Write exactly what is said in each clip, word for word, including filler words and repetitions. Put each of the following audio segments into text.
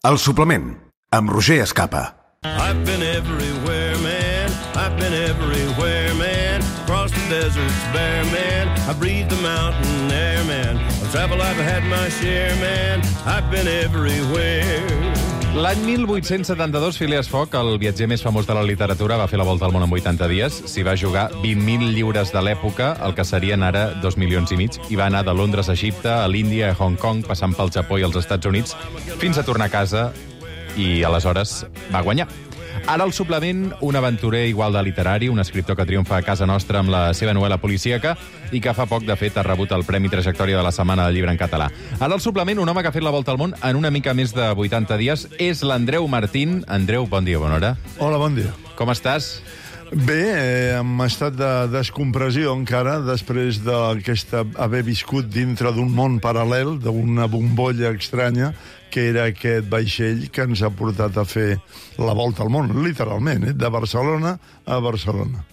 El suplement, amb Roger Escapa. I've been everywhere, man. I've been everywhere, man. Across the deserts bare, man. I breathe the mountain air, man. I've traveled, I've had my share, man. I've been everywhere. L'any mil vuit-cents setanta-dos, Phileas Fogg, el viatger més famós de la literatura, va fer la volta al món en vuitanta dies. S'hi va jugar vint mil lliures de l'època, el que serien ara dos milions i mig, i va anar de Londres a Egipte, a l'Índia, a Hong Kong, passant pel Japó i els Estats Units, fins a tornar a casa, i aleshores va guanyar. Ara el suplement, un aventurer igual de literari, un escriptor que triomfa a casa nostra amb la seva novel·la policíaca i que fa poc, de fet, ha rebut el Premi Trajectòria de la Setmana del Llibre en català. Ara el suplement, un home que ha fet la volta al món en una mica més de vuitanta dies, és l'Andreu Martín. Andreu, bon dia, bona hora. Hola, bon dia. Com estàs? Bé, eh, en estat de descompressió encara, després d'aquesta haver viscut dintre d'un món paral·lel, d'una bombolla estranya, que era aquest vaixell que ens ha portat a fer la volta al món, literalment, eh? De Barcelona a Barcelona.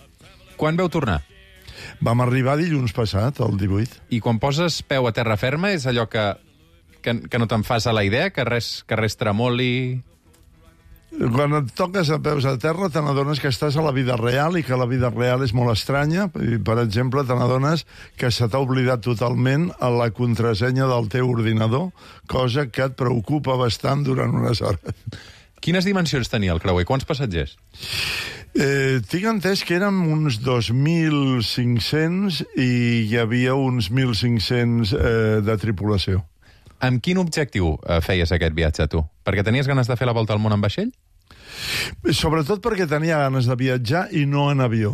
Quan vau tornar? Vam arribar dilluns passat, el divuit. I quan poses peu a terra ferma és allò que, que, que no te'n fas a la idea, que res, que res tremoli... Quan et toques a peus a terra te n'adones que estàs a la vida real i que la vida real és molt estranya. Per exemple, te n'adones que se t'ha oblidat totalment a la contrasenya del teu ordinador, cosa que et preocupa bastant durant unes hores. Quines dimensions tenia el creuer? Quants passatgers? Eh, tinc entès que érem uns dos mil cinc-cents i hi havia uns mil cinc-cents eh, de tripulació. Amb quin objectiu eh, feies aquest viatge, tu? Perquè tenies ganes de fer la volta al món en vaixell? Sobretot perquè tenia ganes de viatjar i no en avió.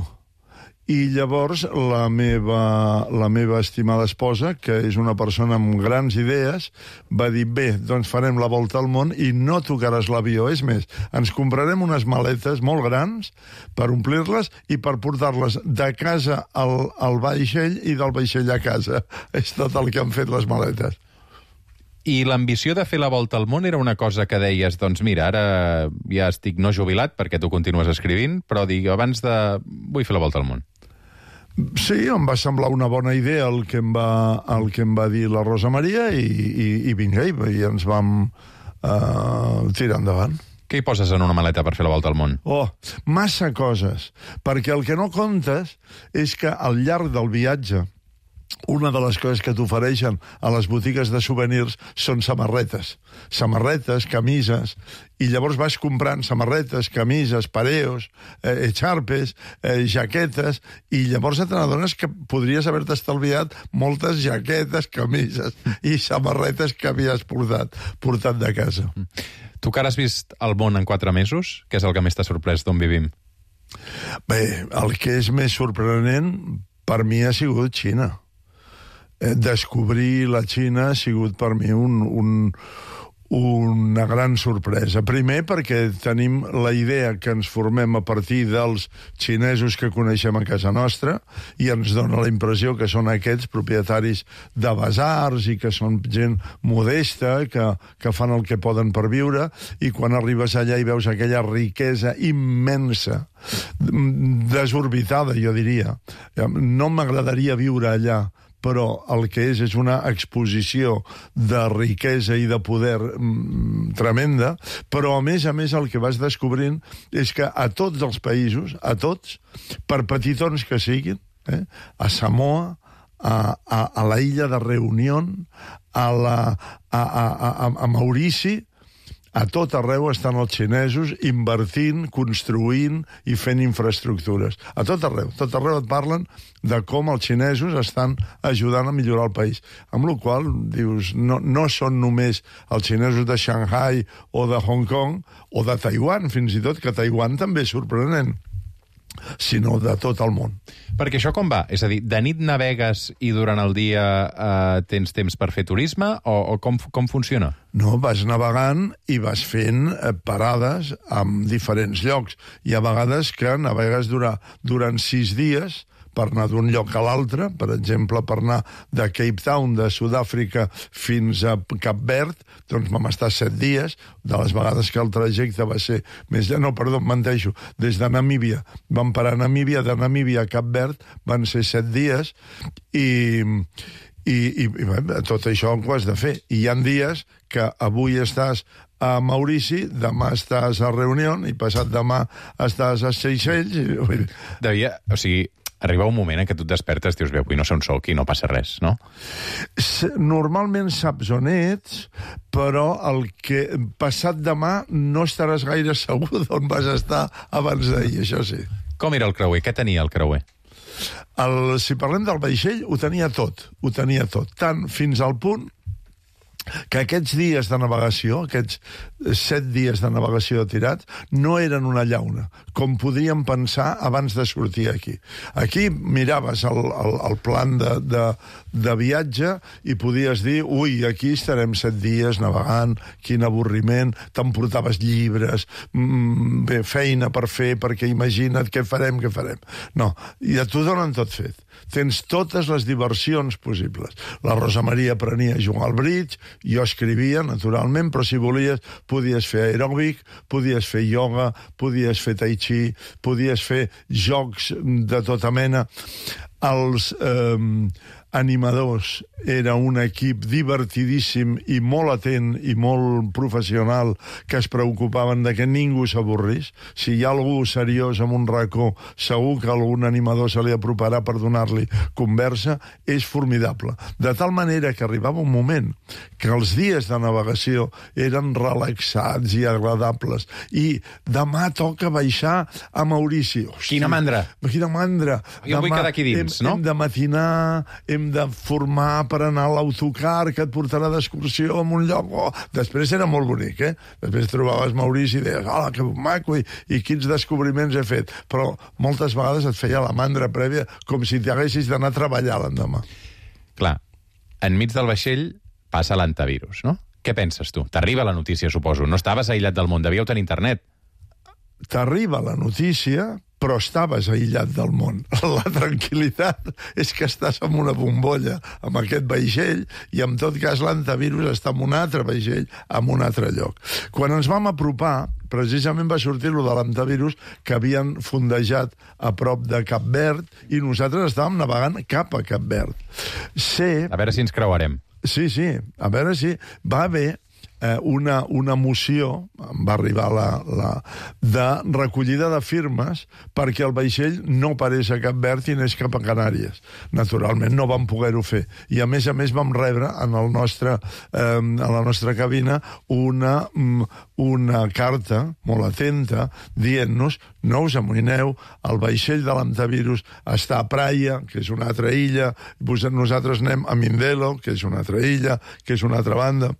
I llavors la meva, la meva estimada esposa, que és una persona amb grans idees, va dir, bé, doncs farem la volta al món i no tocaràs l'avió. És més, ens comprarem unes maletes molt grans per omplir-les i per portar-les de casa al, al vaixell i del vaixell a casa. És tot el que han fet les maletes. I l'ambició de fer la volta al món era una cosa que deies, doncs mira, ara ja estic no jubilat perquè tu continues escrivint, però dic, abans de... vull fer la volta al món. Sí, em va semblar una bona idea el que em va, el que em va dir la Rosa Maria i, i, i vinga, i, i ens vam uh, tirar endavant. Què hi poses en una maleta per fer la volta al món? Oh, massa coses, perquè el que no comptes és que al llarg del viatge una de les coses que t'ofereixen a les botigues de souvenirs són samarretes. Samarretes, camises, i llavors vas comprant samarretes, camises, pareos, eh, xarpes, eh, jaquetes, i llavors te n'adones que podries haver-te estalviat moltes jaquetes, camises i samarretes que havies portat, portat de casa. Tu que ara has vist el món en quatre mesos, què és el que més t'ha sorprès d'on vivim? Bé, el que és més sorprenent per mi ha sigut Xina. Descobrir la Xina ha sigut per mi un, un, una gran sorpresa. Primer perquè tenim la idea que ens formem a partir dels xinesos que coneixem a casa nostra i ens dona la impressió que són aquests propietaris de basars i que són gent modesta, que, que fan el que poden per viure, i quan arribes allà i veus aquella riquesa immensa, desorbitada, jo diria. No m'agradaria viure allà, però el que és és una exposició de riquesa i de poder mm, tremenda, però a més a més el que vas descobrint és que a tots els països, a tots, per petitons que siguin, eh, a Samoa, a, a, a la illa de Reunión, a, la, a, a, a, a Maurici, a tot arreu estan els xinesos invertint, construint i fent infraestructures. A tot arreu. Tot arreu et parlen de com els xinesos estan ajudant a millorar el país. Amb la qual cosa, dius, no, no són només els xinesos de Shanghai o de Hong Kong o de Taiwan, fins i tot, que Taiwan també és sorprenent, sinó de tot el món. Perquè això com va? És a dir, de nit navegues i durant el dia eh, tens temps per fer turisme? O, o com, com funciona? No, vas navegant i vas fent eh, parades en diferents llocs. Hi ha vegades que navegues durant, durant sis dies per anar d'un lloc a l'altre, per exemple, per anar de Cape Town, de Sud-àfrica, fins a Cap Verd, doncs vam estar set dies, de les vegades que el trajecte va ser més llarg, no, perdó, menteixo, des de Namíbia, vam parar a Namíbia, de Namíbia a Cap Verd, van ser set dies, i... I, i, i bé, tot això ho has de fer. I hi ha dies que avui estàs a Maurici, demà estàs a Reunió i passat demà estàs a Seychelles. I... Devia, o sigui, arriba un moment en què tu et despertes i dius, bé, avui no sé on soc i no passa res, no? Normalment saps on ets, però el que passat demà no estaràs gaire segur d'on vas estar abans d'ahir, això sí. Com era el creuer? Què tenia el creuer? El, si parlem del vaixell, ho tenia tot, ho tenia tot, tant fins al punt que aquests dies de navegació, aquests set dies de navegació tirats, no eren una llauna, com podíem pensar abans de sortir aquí. Aquí miraves el, el, el plan de, de, de viatge i podies dir, ui, aquí estarem set dies navegant, quin avorriment, t'emportaves llibres, mm, bé, feina per fer, perquè imagina't què farem, què farem. No, i a tu donen tot fet. Tens totes les diversions possibles. La Rosa Maria aprenia a jugar al bridge, jo escrivia, naturalment, però si volies podies fer aeròbic, podies fer ioga, podies fer tai chi, podies fer jocs de tota mena. Els eh, animadors era un equip divertidíssim i molt atent i molt professional que es preocupaven de que ningú s'avorrís. Si hi ha algú seriós en un racó, segur que algun animador se li aproparà per donar-li conversa. És formidable. De tal manera que arribava un moment que els dies de navegació eren relaxats i agradables. I demà toca baixar a Maurici. Hosti, quina mandra! Quina mandra! Jo vull quedar aquí dins, hem, no? Hem de matinar, hem de formar per anar a l'autocar que et portarà d'excursió a un lloc. Oh, després era molt bonic, eh? Després trobaves Maurici i deies, hola, que maco, i, i quins descobriments he fet. Però moltes vegades et feia la mandra prèvia com si t'haguessis d'anar a treballar l'endemà. Clar, enmig del vaixell passa l'antivirus, no? Què penses tu? T'arriba la notícia, suposo. No estaves aïllat del món, devíeu tenir internet. T'arriba la notícia, però estaves aïllat del món. La tranquil·litat és que estàs en una bombolla amb aquest vaixell i, en tot cas, l'antivirus està en un altre vaixell, en un altre lloc. Quan ens vam apropar, precisament va sortir lo de l'antivirus que havien fondejat a prop de Cap Verd i nosaltres estàvem navegant cap a Cap Verd. Sé... A veure si ens creuarem. Sí, sí, a veure si... Va haver eh, una, una moció, va arribar la, la, de recollida de firmes perquè el vaixell no parés a Cap Verd i anés cap a Canàries. Naturalment no vam poder-ho fer. I a més a més vam rebre en el nostre, eh, a la nostra cabina una, una carta molt atenta dient-nos no us amoïneu, el vaixell de l'antivirus està a Praia, que és una altra illa, nosaltres anem a Mindelo, que és una altra illa, que és una altra banda,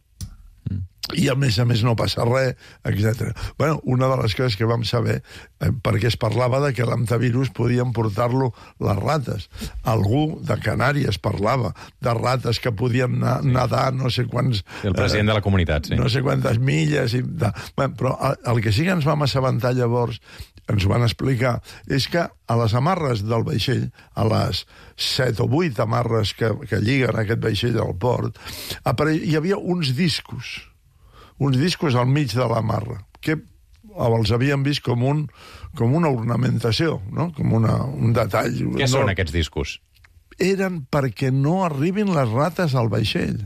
i a més a més no passa res, etcètera. Bueno, una de les coses que vam saber, eh, perquè es parlava de que l'antivirus podien portar-lo les rates. Algú de Canàries parlava de rates que podien anar, sí. nadar no sé quants... El president eh, de la comunitat, sí. No sé quantes milles... I de... Bé, però el que sí que ens vam assabentar llavors, ens ho van explicar, és que a les amarres del vaixell, a les set o vuit amarres que, que lliguen aquest vaixell al port, hi havia uns discos, uns discos al mig de la marra, que els havíem vist com, un, com una ornamentació, no? Com una, un detall. Què no... són aquests discos? Eren perquè no arribin les rates al vaixell,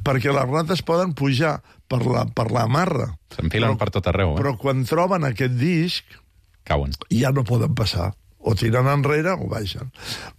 perquè les rates poden pujar per la, per la marra. S'enfilen per tot arreu, eh? Però quan troben aquest disc, cauen. Ja no poden passar. O tiren enrere o baixen.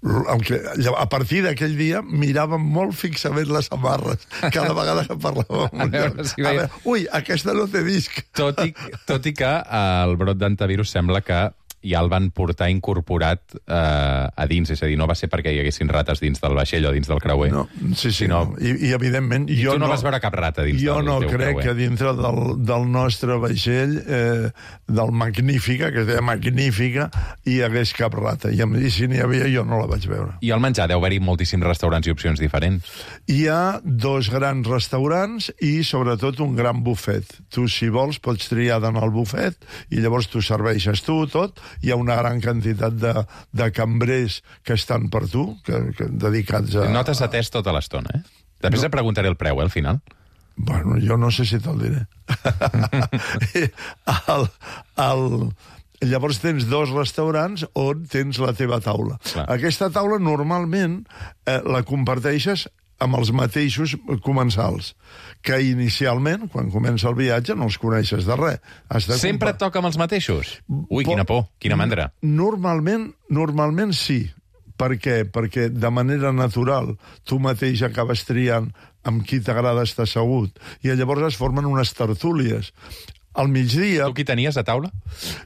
El que, a partir d'aquell dia miràvem molt fixament les amarres cada vegada que parlàvem. A veure si veia... a veure, ui, aquesta no té disc. Tot i, tot i que el brot d'antivirus sembla que ja el van portar incorporat eh, a dins, és a dir, no va ser perquè hi haguessin rates dins del vaixell o dins del creuer. No, sí, sí, sinó... no. I, i evidentment... I jo tu no, no vas veure cap rata dins jo del no teu crec creuer. que dintre del, del nostre vaixell, eh, del Magnífica, que es deia Magnífica, hi hagués cap rata. I, i si n'hi havia, jo no la vaig veure. I al menjar deu haver-hi moltíssims restaurants i opcions diferents. Hi ha dos grans restaurants i, sobretot, un gran bufet. Tu, si vols, pots triar d'anar al bufet i llavors tu serveixes tu tot. Hi ha una gran quantitat de, de cambrers que estan per tu, que, que dedicats a... No t'has atès tota l'estona, eh? Després no. Et preguntaré el preu, eh, al final. Bueno, jo no sé si te'l diré. el, el... Llavors tens dos restaurants on tens la teva taula. Clar. Aquesta taula normalment eh, la comparteixes amb els mateixos comensals, que inicialment, quan comença el viatge, no els coneixes de res. Has de Sempre et toca amb els mateixos? Ui, quina por, quina mandra. Normalment, normalment sí. Per què? Perquè de manera natural tu mateix acabes triant amb qui t'agrada estar assegut, i llavors es formen unes tertúlies. Al migdia... Tu qui tenies a taula?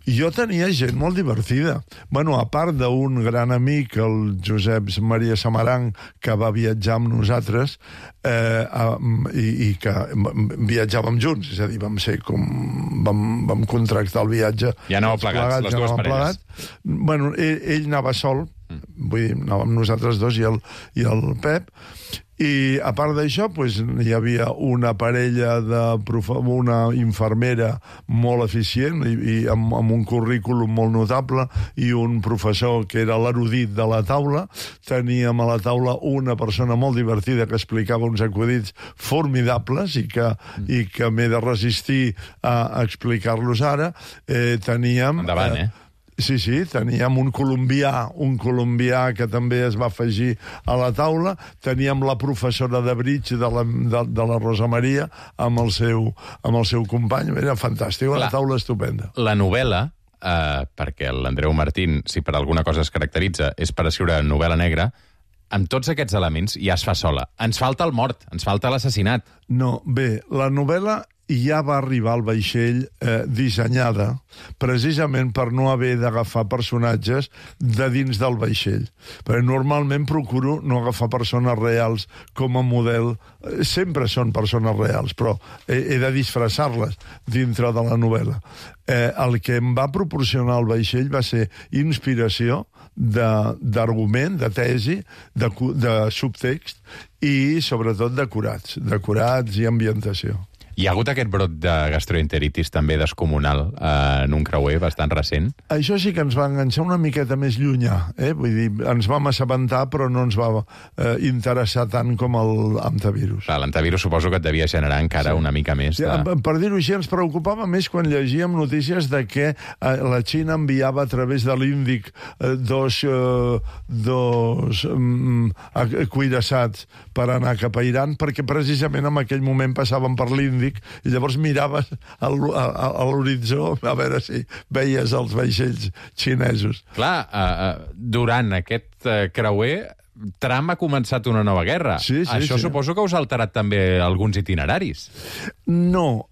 Jo tenia gent molt divertida. Bueno, a part d'un gran amic, el Josep Maria Samaranc, que va viatjar amb nosaltres eh, i, i que viatjàvem junts, és a dir, vam ser com... vam, vam contractar el viatge. Ja anàveu plegats, plegats, les dues parelles. Plegats. Bueno, ell, ell anava sol, mm. vull dir, anàvem nosaltres dos i el, i el Pep, i a part d'això pues, hi havia una parella de profe... una infermera molt eficient i, i amb, amb un currículum molt notable, i un professor que era l'erudit de la taula. Teníem a la taula una persona molt divertida que explicava uns acudits formidables i que, mm. i que m'he de resistir a, a explicar-los ara. Eh, teníem... Endavant, eh? Sí, sí, teníem un colombià, un colombià que també es va afegir a la taula. Teníem la professora de bridge de la, de, de la Rosa Maria amb el seu, amb el seu company. Era fantàstic, una taula estupenda. La novel·la, eh, perquè l'Andreu Martín, si per alguna cosa es caracteritza, és per escriure novel·la negra, amb tots aquests elements ja es fa sola. Ens falta el mort, ens falta l'assassinat. No, bé, la novel·la ja va arribar al vaixell eh, dissenyada precisament per no haver d'agafar personatges de dins del vaixell. Perquè normalment procuro no agafar persones reals com a model. Sempre són persones reals, però he, he de disfressar-les dintre de la novel·la. Eh, el que em va proporcionar el vaixell va ser inspiració d'argument, de, de tesi, de, de subtext i, sobretot, decorats. Decorats i ambientació. Hi ha hagut aquest brot de gastroenteritis també descomunal eh, en un creuer bastant recent? Això sí que ens va enganxar una miqueta més llunyà, eh? Vull dir, ens vam assabentar, però no ens va eh, interessar tant com el antivirus. Clar, l'antivirus suposo que et devia generar encara sí. una mica més de... Sí, per dir-ho així, ens preocupava més quan llegíem notícies de que eh, la Xina enviava a través de l'Índic eh, dos, eh, dos eh, cuirassats per anar cap a Iran, perquè precisament en aquell moment passaven per l'Índic i llavors miraves a l'horitzó a veure si veies els vaixells xinesos. Clar, uh, durant aquest uh, creuer, Trump ha començat una nova guerra. Sí, sí, Això sí. suposo que us ha alterat també alguns itineraris. No,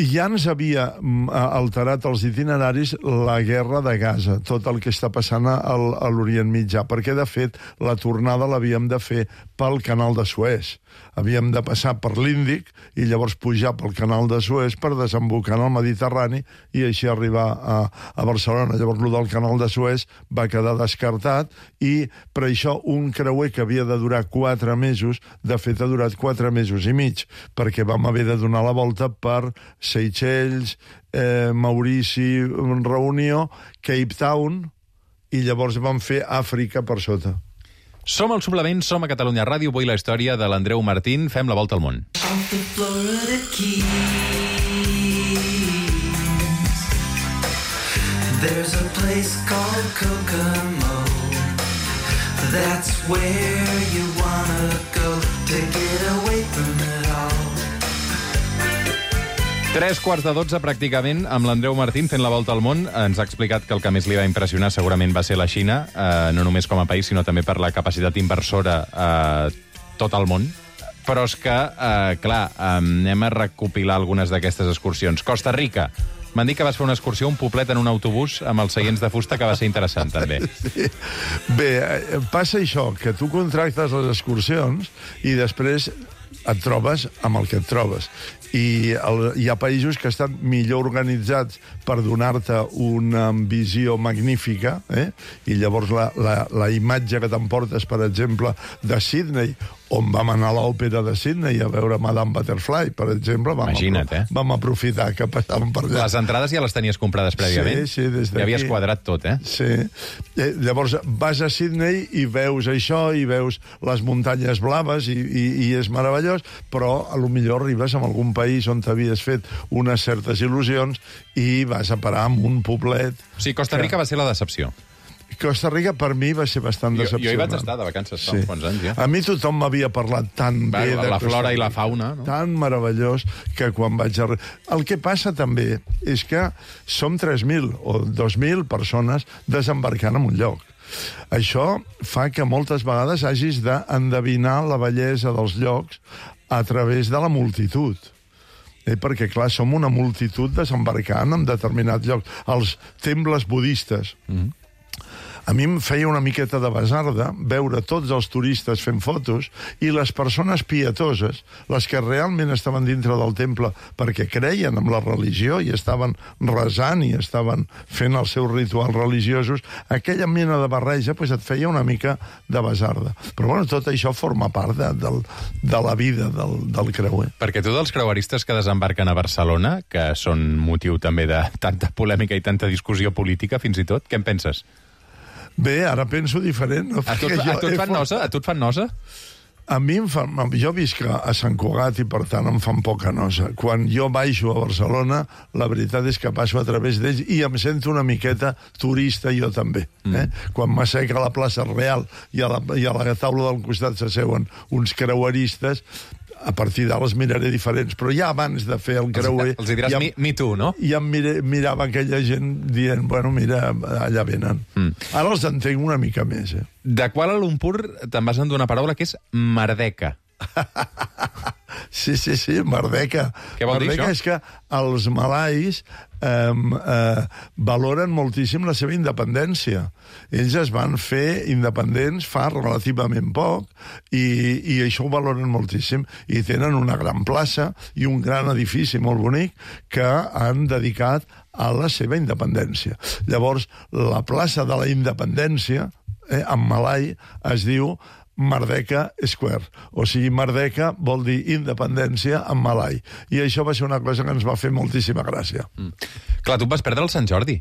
ja ens havia alterat els itineraris la guerra de Gaza, tot el que està passant al, a l'Orient Mitjà, perquè, de fet, la tornada l'havíem de fer pel canal de Suez. Havíem de passar per l'Índic i llavors pujar pel canal de Suez per desembocar en el Mediterrani i així arribar a, a Barcelona. Llavors, el del canal de Suez va quedar descartat i, per això, un creuer que havia de durar quatre mesos, de fet ha durat quatre mesos i mig, perquè vam haver de donar la volta per Seychelles, eh, Maurici, Reunió, Cape Town, i llavors vam fer Àfrica per sota. Som al Suplement, som a Catalunya Ràdio, avui la història de l'Andreu Martín. Fem la volta al món. There's a place called Kokomo. That's where you wanna go to get away from it all. Tres quarts de dotze, pràcticament, amb l'Andreu Martín fent la volta al món. Ens ha explicat que el que més li va impressionar segurament va ser la Xina, eh, no només com a país, sinó també per la capacitat inversora a eh, tot el món. Però és que, eh, clar, eh, anem a recopilar algunes d'aquestes excursions. Costa Rica. M'han dit que vas fer una excursió, un poblet en un autobús amb els seients de fusta, que va ser interessant, també. Sí. Bé, passa això, que tu contractes les excursions i després et trobes amb el que et trobes. I el, hi ha països que estan millor organitzats per donar-te una visió magnífica, eh? I llavors la, la, la imatge que t'emportes, per exemple, de Sydney, on vam anar a l'òpera de Sydney a veure Madame Butterfly, per exemple. Vam Imagina't, eh? Vam aprofitar que passàvem per allà. Les entrades ja les tenies comprades prèviament? Sí, sí, des d'aquí. Ja havies quadrat tot, eh? Sí. Eh, llavors vas a Sydney i veus això, i veus les muntanyes blaves, i, i, i és meravellós, però a lo millor arribes a algun país on t'havies fet unes certes il·lusions i vas a parar amb un poblet... O sigui, Costa Rica que... va ser la decepció. Costa Rica per mi va ser bastant Jo, decepcionant. jo hi vaig estar de vacances fa uns quants anys, ja. A mi tothom m'havia parlat tan Va, bé de la Costa flora i la Rica, fauna, no? tan meravellós, que quan vaig a... El que passa també és que som tres mil o dos mil persones desembarcant en un lloc. Això fa que moltes vegades hagis d'endevinar la bellesa dels llocs a través de la multitud. Eh, perquè, clar, som una multitud desembarcant en determinats llocs. Els temples budistes. Mm. A mi em feia una miqueta de basarda veure tots els turistes fent fotos i les persones pietoses, les que realment estaven dintre del temple perquè creien en la religió i estaven resant i estaven fent els seus rituals religiosos, aquella mena de barreja pues, et feia una mica de basarda. Però bueno, tot això forma part de, de, de la vida del, del creuer. Perquè tu dels creueristes que desembarquen a Barcelona, que són motiu també de tanta polèmica i tanta discussió política, fins i tot, què en penses? Bé, ara penso diferent. No? A tu, a tu et fan nosa? A tu et fan nosa? A mi em fan... Jo visc a Sant Cugat i, per tant, em fan poca nosa. Quan jo baixo a Barcelona, la veritat és que passo a través d'ells i em sento una miqueta turista jo també. Eh? Mm. Quan m'asseca a la plaça Real i a la, i a la taula del costat s'asseuen uns creueristes, a partir d'ara els miraré diferents, però ja abans de fer el creuer... Els, els hi diràs ja, mi, mi tu, no? Ja em mire, mirava aquella gent dient, bueno, mira, allà venen. Mm. Ara els entenc una mica més, eh? De Kuala Lumpur te'n vas endur una paraula que és merdeca. Sí, sí, sí, merdeca. Què vol merdeca dir això? És que els malais eh, eh, valoren moltíssim la seva independència. Ells es van fer independents fa relativament poc i, i això ho valoren moltíssim. I tenen una gran plaça i un gran edifici molt bonic que han dedicat a la seva independència. Llavors, la plaça de la independència, eh, en malai, es diu Merdeka Square. O sigui, Merdeka vol dir independència en malai. I això va ser una cosa que ens va fer moltíssima gràcia. Mm. Clar, tu vas perdre el Sant Jordi.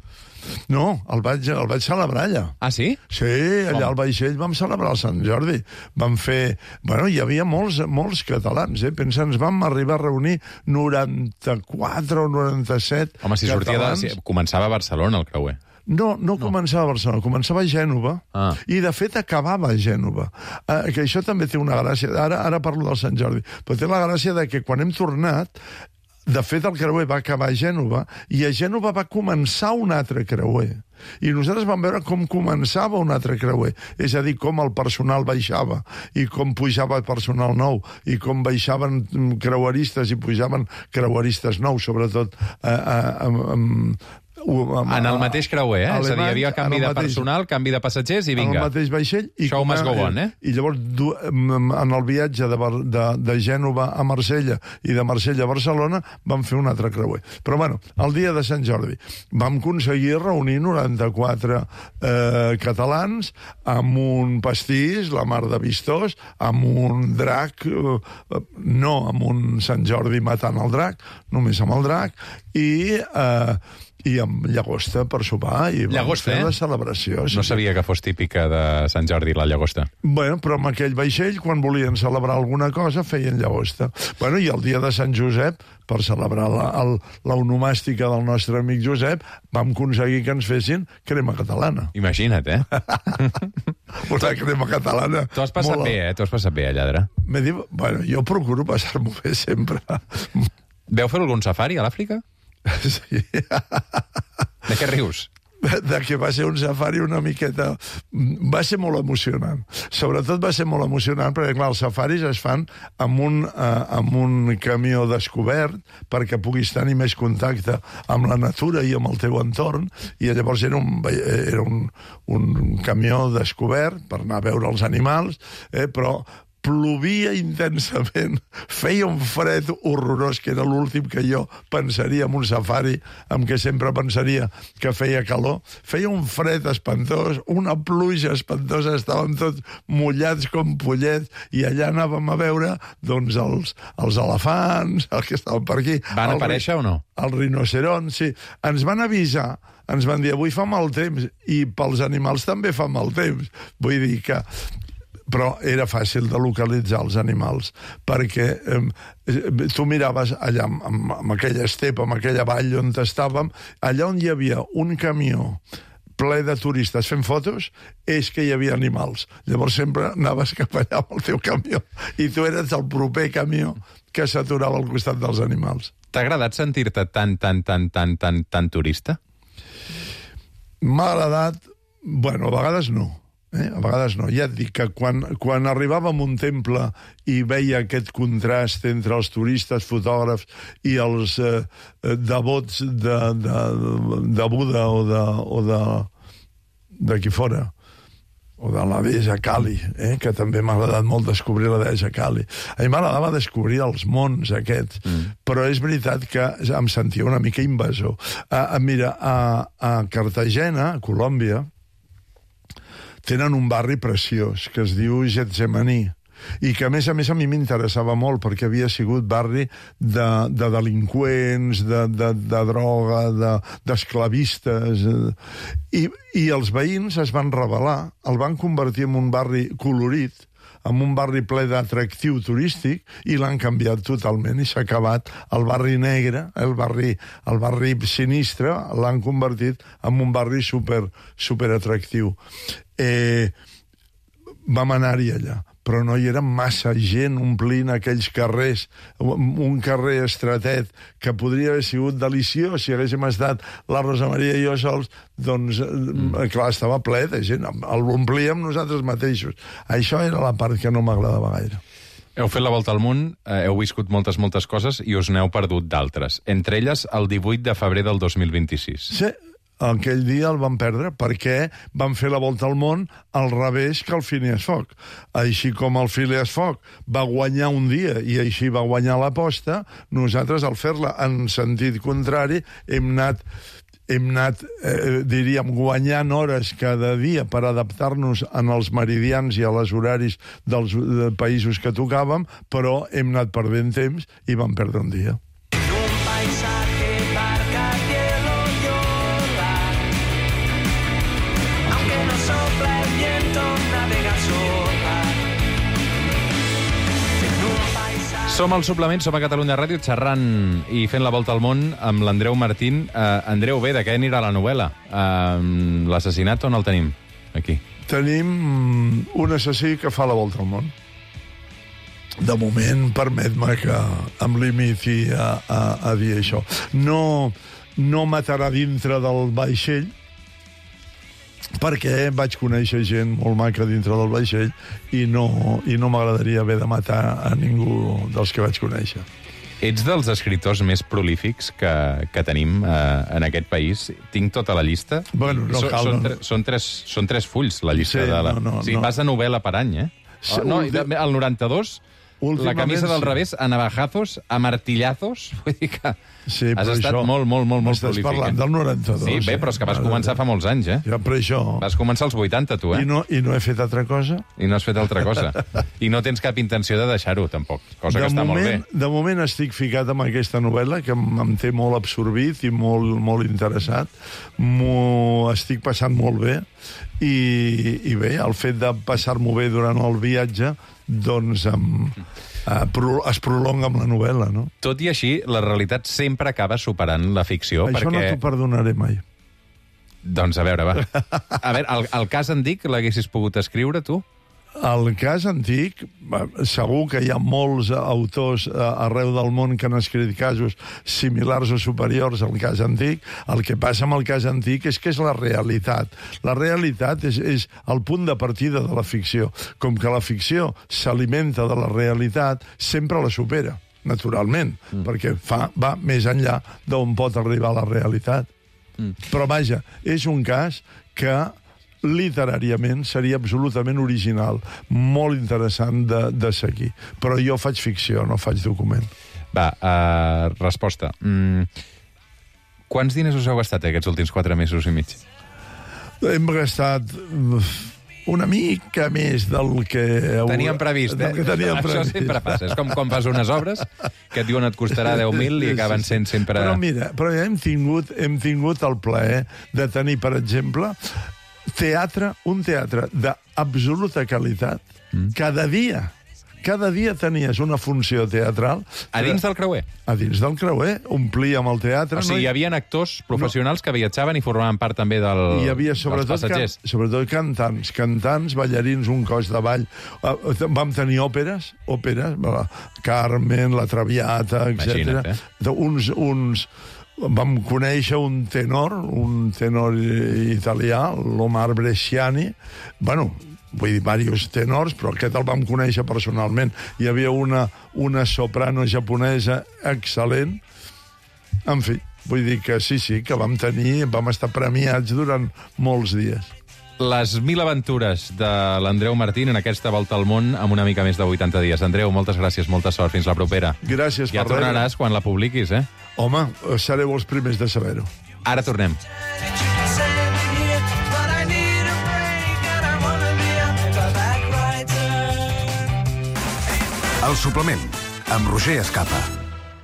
No, el vaig, el vaig celebrar allà. Ah, sí? Sí, allà al vaixell vam celebrar el Sant Jordi. Vam fer... Bueno, hi havia molts, molts catalans, eh? Pensa, ens vam arribar a reunir noranta-quatre o noranta-set Home, si sortia de... Si començava a Barcelona, el creuer. No, no, no començava a Barcelona, començava a Gènova, ah. i de fet acabava a Gènova. Eh, que això també té una gràcia. Ara, ara parlo del Sant Jordi, però té la gràcia de que quan hem tornat, de fet el creuer va acabar a Gènova, i a Gènova va començar un altre creuer. I nosaltres vam veure com començava un altre creuer, és a dir, com el personal baixava, i com pujava personal nou, i com baixaven creueristes i pujaven creueristes nous, sobretot eh, eh, eh, en el mateix creuer, eh? Alemanys, és a dir, hi havia canvi de mateix, personal, canvi de passatgers i vinga. En el mateix vaixell. I Show must go on, eh? I llavors, en el viatge de, de, de Gènova a Marsella i de Marsella a Barcelona, vam fer un altre creuer. Però, bueno, el dia de Sant Jordi vam aconseguir reunir noranta-quatre eh, catalans amb un pastís, la mar de vistós, amb un drac, eh, no amb un Sant Jordi matant el drac, només amb el drac, i... Eh, i amb llagosta per sopar, i vam llagosta, fer eh? la celebració. Sí. No sabia que fos típica de Sant Jordi, la llagosta. Bueno, però amb aquell vaixell, quan volien celebrar alguna cosa, feien llagosta. Bueno, i el dia de Sant Josep, per celebrar la, el, l'onomàstica del nostre amic Josep, vam aconseguir que ens fessin crema catalana. Imagina't, eh? Una crema catalana. Tu has passat molt... bé, eh? Tu has passat bé, a lladre. M'he dit, bueno, jo procuro passar-m'ho bé sempre. Veu fer algun safari a l'Àfrica? Sí. De què rius? De que va ser un safari una miqueta... Va ser molt emocionant. Sobretot va ser molt emocionant perquè, clar, els safaris es fan amb un, eh, amb un camió descobert perquè puguis tenir més contacte amb la natura i amb el teu entorn, i llavors era un, era un, un camió descobert per anar a veure els animals, eh, però plovia intensament, feia un fred horrorós, que era l'últim que jo pensaria en un safari, amb què sempre pensaria que feia calor. Feia un fred espantós, una pluja espantosa, estàvem tots mullats com pollets, i allà anàvem a veure doncs, els, els elefants, els que estaven per aquí. Van aparèixer o no? Els rinocerons, sí. Ens van avisar, ens van dir, avui fa mal temps, i pels animals també fa mal temps. Vull dir que... Però era fàcil de localitzar els animals, perquè eh, tu miraves allà, amb, amb aquella estepa, amb aquella vall on estàvem, allà on hi havia un camió ple de turistes fent fotos, és que hi havia animals. Llavors sempre anaves cap allà amb el teu camió i tu eres el proper camió que s'aturava al costat dels animals. T'ha agradat sentir-te tan, tan, tan, tan, tan, tan turista? M'ha agradat... Bueno, a vegades no. Eh? A vegades no. Ja et dic que quan, quan arribàvem a un temple i veia aquest contrast entre els turistes, fotògrafs i els eh, devots de, de, de Buda o de, o de, de qui fora, o de la deessa Kali, eh? Que també m'ha agradat molt descobrir la deessa Kali. A mi m'agradava descobrir els mons aquests, mm. però és veritat que em sentia una mica invasor. Uh, mira, a, a Cartagena, a Colòmbia, tenen un barri preciós que es diu Getsemaní i que, a més a més, a mi m'interessava molt perquè havia sigut barri de, de delinqüents, de, de, de droga, de, d'esclavistes... I, I els veïns es van rebel·lar, el van convertir en un barri colorit, en un barri ple d'atractiu turístic, i l'han canviat totalment, i s'ha acabat el barri negre, el barri, el barri sinistre, l'han convertit en un barri super, super atractiu. Eh, vam anar-hi allà, però no hi era massa gent omplint aquells carrers, un carrer estratet que podria haver sigut deliciós si haguéssim estat la Rosa Maria i jo sols, doncs, mm. clar, estava ple de gent, l'omplíem nosaltres mateixos. Això era la part que no m'agradava gaire. Heu fet la volta al món, heu viscut moltes, moltes coses i us n'heu perdut d'altres. Entre elles, el divuit de febrer del dos mil vint-i-sis. Sí. Aquell dia el vam perdre perquè vam fer la volta al món al revés que el Phineas Fogg. Així com el Phineas Fogg va guanyar un dia i així va guanyar l'aposta, nosaltres, al fer-la en sentit contrari, hem anat, hem anat eh, diríem, guanyant hores cada dia per adaptar-nos en els meridians i a les horaris dels de països que tocàvem, però hem anat perdent temps i vam perdre un dia. Un paisaje marca cielo llora, aunque no sopla el viento, navega sola. Som al Suplement, som a Catalunya Ràdio, xerrant i fent la volta al món amb l'Andreu Martín. Uh, Andreu, bé, de què anirà la novel·la? Uh, L'assassinat, on el tenim? Aquí. Tenim un assassí que fa la volta al món. De moment, permet-me que em limiti a, a, a dir això. No, no matarà dintre del vaixell, perquè vaig conèixer gent molt maca dintre del vaixell i no, i no m'agradaria haver de matar a ningú dels que vaig conèixer. Ets dels escriptors més prolífics que, que tenim eh, en aquest país. Tinc tota la llista. Bueno, no so, cal, són, no. tre, són, tres, són tres fulls, la llista. Sí, de la... no, no, o sigui, no. vas de novel·la per any, eh? Sí, oh, no, últim... el noranta-dos... La camisa del sí. revés, a navajazos, a martillazos... Vull dir que sí, has estat això, molt, molt, molt, molt prolífic. Estàs parlant del noranta-dos. Sí, bé, però és que vas començar fa molts anys, eh? Ja, però això... Vas començar als vuitanta, tu, eh? I no, I no he fet altra cosa? I no has fet altra cosa. I no tens cap intenció de deixar-ho, tampoc. Cosa de que està moment, molt bé. De moment estic ficat amb aquesta novel·la, que em, em té molt absorbit i molt, molt interessat. M'ho estic passant molt bé. I, I bé, el fet de passar-m'ho bé durant el viatge, doncs... Em, Uh, pro, es prolonga amb la novel·la, no? Tot i així, la realitat sempre acaba superant la ficció. Això perquè... no t'ho perdonaré mai. Doncs a veure, va. A veure, el, el cas antic l'haguessis pogut escriure, tu? El cas antic, segur que hi ha molts autors arreu del món que han escrit casos similars o superiors al cas antic. El que passa amb el cas antic és que és la realitat. La realitat és, és el punt de partida de la ficció. Com que la ficció s'alimenta de la realitat, sempre la supera, naturalment, mm. perquè fa, va més enllà d'on pot arribar la realitat. Mm. Però vaja, és un cas que literàriament seria absolutament original, molt interessant de, de seguir. Però jo faig ficció, no faig document. Va, uh, resposta. Mm. Quants diners us heu gastat aquests últims quatre mesos i mig? Hem gastat una mica més del que... Teníem previst, eh? Que teníem Això previst. sempre passa. És com quan fas unes obres que et diuen et costarà deu mil i acaben sent sempre... Però mira, però ja hem tingut, hem tingut el plaer de tenir, per exemple, teatre, un teatre d'absoluta qualitat, mm. cada dia. cada dia tenies una funció teatral... A dins del creuer? A dins del creuer, omplíem el teatre... O sigui, hi havia actors professionals no. que viatjaven i formaven part també del, hi havia dels passatgers. Can, sobretot cantants, cantants, ballarins, un cos de ball. Vam tenir òperes, òperes, Carmen, La Traviata, etcètera. Eh? Uns, uns... Vam conèixer un tenor, un tenor italià, l'Omar Bresciani. Bueno, vull dir, diversos tenors, però aquest el vam conèixer personalment. Hi havia una, una soprano japonesa excel·lent. En fi, vull dir que sí, sí, que vam tenir, vam estar premiats durant molts dies. Les mil aventures de l'Andreu Martín en aquesta volta al món amb una mica més de vuitanta dies. Andreu, moltes gràcies, molta sort. Fins la propera. Gràcies ja per tornaràs quan la publiquis, eh? Home, sereu els primers de saber-ho. Ara tornem. El suplement, amb Roger Escapa.